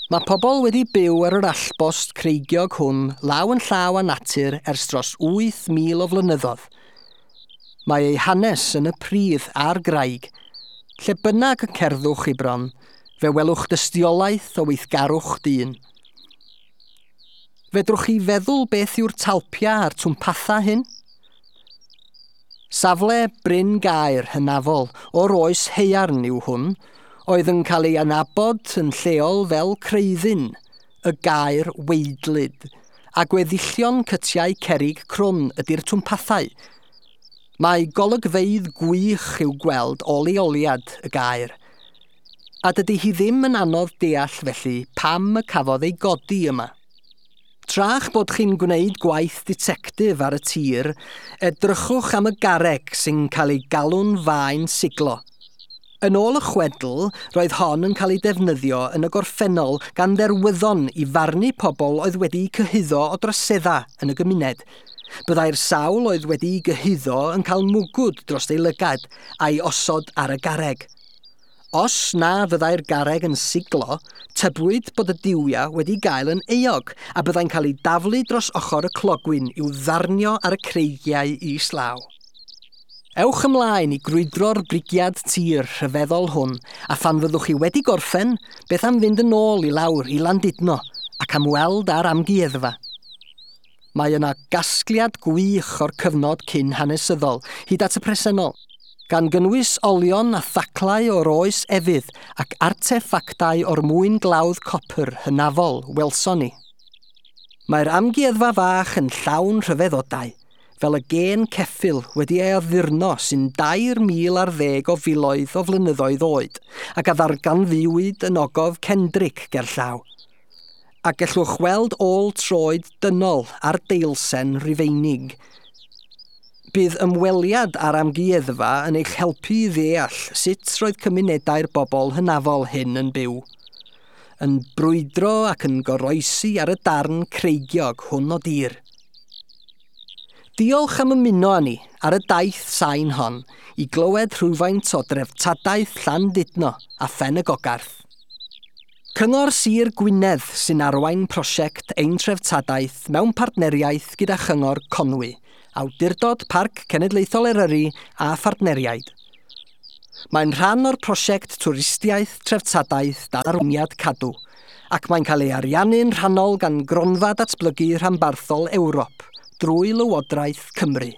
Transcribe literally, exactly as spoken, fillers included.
Mae pobl wedi byw ar yr allbost creigiog hwn law yn llaw â natur ers dros wyth mil o flynyddoedd. Mae ei hanes yn y pridd a'r graig. Lle bynnag y cerddwch i bron, fe welwch dystiolaeth o weithgarwch dyn. Fedrwch chi feddwl beth yw'r talpia a'r twmpatha hyn? Safle Bryn Gaer hynafol o'r oes haearn yw hwn, oedd yn cael ei anabod yn lleol fel Creuddyn, y gaer weidlyd, a gweddillion cytiau cerrig crwn ydy'r twmpathau. Mae golygfeydd gwych i'w gweld o leoliad y gaer, a dydy hi ddim yn anodd deall felly pam y cafodd ei godi yma. Tra'ch bod chi'n gwneud gwaith ditectif ar y tir, edrychwch am y garreg sy'n cael ei galw'n faen siglo. Yn ôl y chwedl, roedd hon yn cael ei defnyddio yn y gorffennol gan dderwyddon i farnu pobl oedd wedi'u cyhuddo o droseddau yn y gymuned. Byddai'r sawl oedd wedi'i gyhuddo yn cael mwgwd dros ei lygad a'i osod ar y garreg. Os na fyddai'r garreg yn siglo, tybwyd bod y duwiau wedi gael yn euog a byddai'n cael ei daflu dros ochr y clogwyn i'w ddarnio ar y creigiau islaw. Ewch ymlaen i grwydro'r brigiad tir rhyfeddol hwn, a phan fyddwch chi wedi gorffen, beth am fynd yn ôl i lawr i Landudno ac am weld ar amgueddfa. Mae yna gasgliad gwych o'r cyfnod cyn hanesyddol, hyd at y presennol, gan gynnwys olion a thaclau o'r oes efydd ac arteffactau o'r mwyn glawdd copr hynafol welson ni. Mae'r amgueddfa fach yn llawn rhyfeddodau, fel y gên ceffyl wedi ei addurno sy'n dair mil ar ddeg o filoedd o flynyddoedd oed ac a ddarganfuwyd yn ogof Cendric gerllaw. A gellwch weld ôl troed dynol ar deilsen Rufeinig. Bydd ymweliad â'r amgueddfa yn eich helpu i ddeall sut roedd cymunedau'r bobl hynafol hyn yn byw. Yn brwydro ac yn goroesi ar y darn creigiog hwn o dir. Diolch am ymuno â ni ar y daith sain hon i glywed rhywfaint o dreftadaeth Llandudno a Phen y Gogarth. Cyngor Sir Gwynedd sy'n arwain prosiect Ein Treftadaeth mewn partneriaeth gyda Chyngor Conwy, Awdurdod Parc Cenedlaethol Eryri a phartneriaid. Mae'n rhan o'r prosiect Twristiaeth Treftadaeth dan arweiniad Cadw, ac mae'n cael ei ariannu'n rhannol gan Gronfa Datblygu Rhanbarthol Ewrop drwy Lywodraeth Cymru.